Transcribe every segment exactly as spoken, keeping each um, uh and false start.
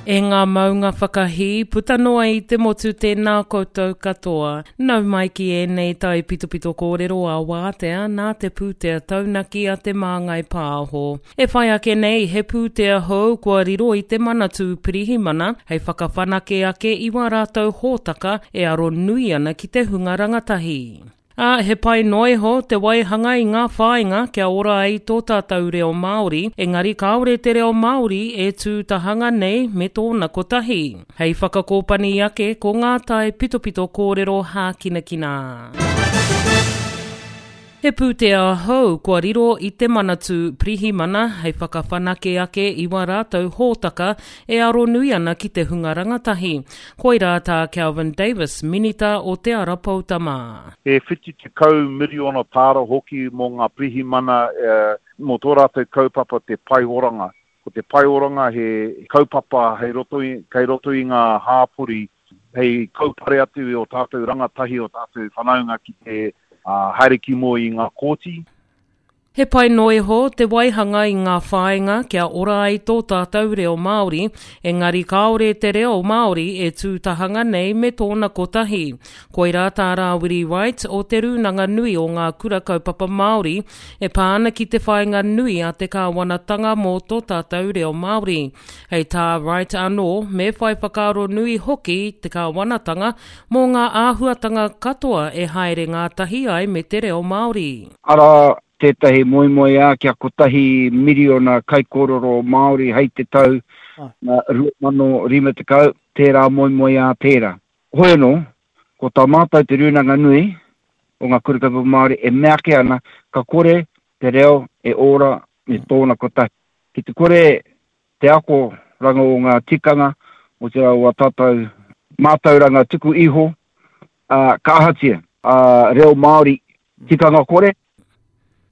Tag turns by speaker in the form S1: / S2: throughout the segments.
S1: E ngā maunga whakahī, puta noa i te motu tēnā koutou katoa. Nau mai ki ēnei tai pitopito kōrero a wātea nā te pūtea taunaki a te Māngai Pāho. E whai ake nei, he pūtea hou kua riro i te Manatū Pirihimana hei whakawhanake ake i wā rātou hōtaka e aro nui ana ki te hunga rangatahi. Ā, he pai noa iho te waihanga i ngā whāinga kia ora ai tō tātou reo Māori, engari kāore te reo Māori e tū tahanga nei me tōna kotahi. Hei whakakōpani ake ko ngā tai pitopito kōrero hākinakina. He pūtea hou kua riro i te Manatū Pirihimana hei whakawhanake ake i wā rātou hōtaka e aro nui ana ki te hunga rangatahi. Koirā tā Kelvin Davis, Minita o Te Ara Poutama.
S2: He whitu tekau miriona tāra hoki mō ngā pirihimana mō tō rātou kaupapa te pae oranga. Ko te pae oranga he kaupapa hei roto i, kei roto i ngā hāpori hei kaupare atu i o tātou rangatahi, o tātou whanaunga ki te haere ki mua i ngā kōti.
S1: He pai noa iho te waihanga i ngā whāinga kia ora ai tō tātou reo Māori, engari kāore te reo Māori e tū tahanga nei me tōna kotahi. Koirā tā Rāwiri Wright o Te Rūnanga Nui o Ngā Kura Kaupapa Māori e pā ana ki te whāinga nui a te kāwanatanga mō tō tātou reo Māori. Hei tā Wright anō, me whai whakaaro nui hoki te kāwanatanga mō ngā āhuatanga katoa e haere ngātahi ai me te reo Māori.
S3: Arā tētahi moemoeā kia kotahi miriona kaikōrero Māori hei te tau rua mano rima tekau, tērā moemoeā tērā. Hoi anō, ko tā mātou te Rūnanga Nui o ngā Kura Kaupapa Māori e mea ake ana ka kore te reo e ora me tōna kotahi. Ki te kore te akoranga o ngā tikanga o te o a tātou mātauranga tuku iho, ā, ka ahatia, ā, reo Māori tikanga kore.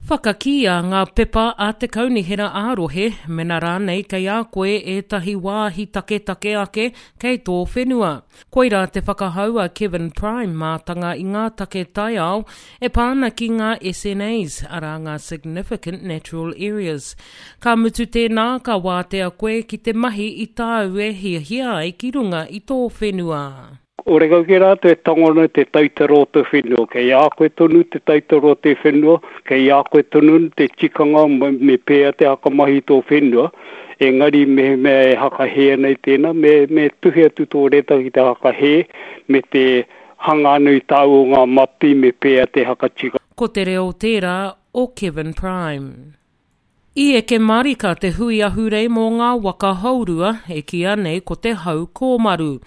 S1: Whakakīia ngā pepa a te kaunihera ā-rohe, mena rānei kei a koe ētahi wāhi taketake ake kei tō whenua. Koirā te whakahau a Kevin Prime mātanga i ngā take taiao e pā ana ki ngā S N As, arā ngā Significant Natural Areas. Ka mutu tēnā, ka wātea koe ki te mahi i tāu e hiahia ai ki runga i tō whenua.
S4: Ore kau ki rātou e tango ana te taitara o te whenua, kei a koe tonu te taitara o te whenua, kei a koe tonu te tikanga me pēa te hakamahi tō whenua, engari mehemea e hakahē ana i tēnā, me, me tuhi atu tō reta ki te hakahē, me te hanga anu i tāu o ngā mapi me pēa te hakatika.
S1: Ko te reo tērā o Kevin Prime. I eke marika te hui ahurei mō ngā waka hourua e kīa nei ko te hau kōmaru.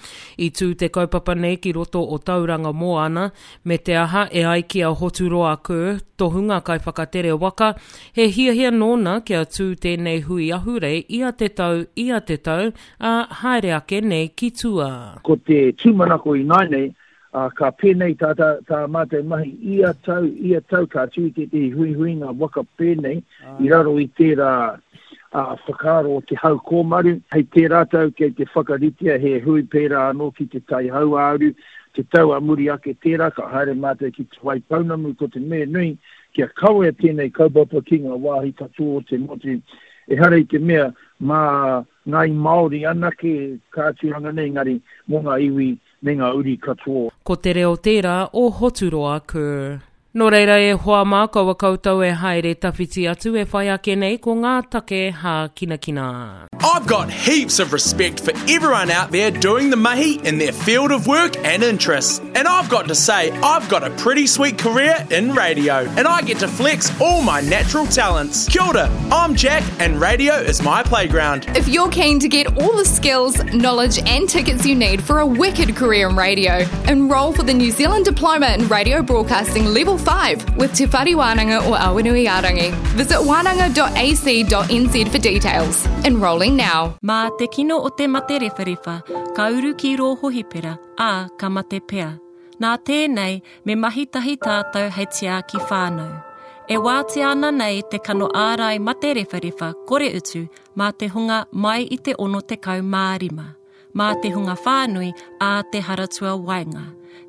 S1: I tū te kaupapa nei ki roto o Tauranga Moana, me te aha e ai ki a Hoturoa Kerr, tohunga kaiwhakatere waka, he hiahia nōna kia tū tēnei hui ahurei ia te tau, ia te tau, ā, haere ake nei ki tua.
S5: Ko te tūmanako i nai nei, Uh, ka pēnei tā, tā, tā mātou mahi ia tau, ia tau ka tū tētehi huihuinga waka pēnei i raro i tērā uh, whakaaro o te hau kōmaru. Hei tērā tau kei te whakaritea he hui pērā anō ki te tai hauāuru, te tau a muri ake tērā ka haere mātou ki te Waipounamu ko te mea nui kia kawea tēnei kaupapa ki ngā wāhi katoa o te motu. Ehara i te mea mā ngāi Māori anake ka tūranga nei, engari mō ngā iwi me ngā uri katoa.
S1: Ko te reo tērā o Hoturoa Kerr. Nō reira e hoa mā kaua koutou e haere tawhiti atu e whai ake nei ko ngā take hākinakina.
S6: I've got heaps of respect for everyone out there doing the mahi in their field of work and interests. And I've got to say, I've got a pretty sweet career in radio, and I get to flex all my natural talents. Kia ora, I'm Jack, and radio is my playground.
S7: If you're keen to get all the skills, knowledge and tickets you need for a wicked career in radio, enrol for the New Zealand Diploma in Radio Broadcasting Level five with Te Whare Wānanga o Awanuiārangi. Visit wānanga dot a c dot n z for details. Enrolling now.
S8: Mā te kino o te mate rewharewha, ka uru ki rō hohipera, ā, ka mate pea. Nā tēnei, me mahi tahi tātou hei tiaki whānau. E wātea ana nei te kano ārai mate rewharewha kore utu mā te hunga mai i te ono tekau mā rima, mā te hunga whānui ā te haratua waenga.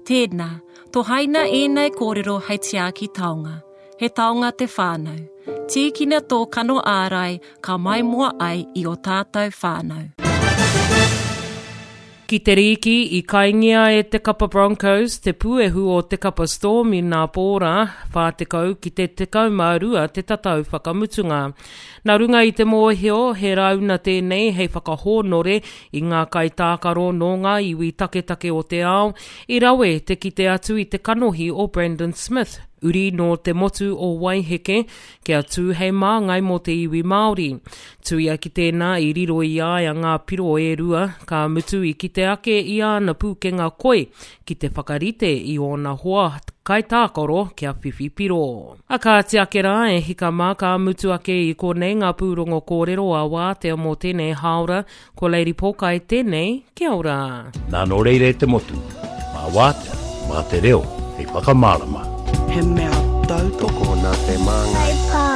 S8: Tēnā, tohaina ēnei kōrero hei tiaki taonga. He taonga te whānau. Tīkina tō kano ārai ka maimoa ai i o tātou whānau.
S1: Ki te rīki, i kaingia e te kapa Broncos te puehu o te kapa Storm i nā pōra, whā tekau ki te tekau mā rua te tatau whakamutunga. Nā runga i te mōhio, he rauna tēnei hei whakahōnore i ngā kaitākaro nō ngā iwi taketake o te ao, i rawe te kite atu i te kanohi o Brandon Smith, uri nō te motu o Waiheke, kia tū hei māngai mō te iwi Māori. Tuia ki tēnā i riro i a ia ngā piro e rua, ka mutu i kite ake i āna pūkenga koi ki te whakarite i ōna hoa kaitākaro kia whiwhi piro. A kāti ake rā e hika mā ka mutu ake i konei ngā pūrongo kōrero a Wātea mō tēnei hāora, ko Lady Pōkai tēnei, kia ora.
S9: Nā nō reira e te motu, mā Wātea, mā te reo, hei whakamārama.
S10: He mea tautoko nā Te Māngai.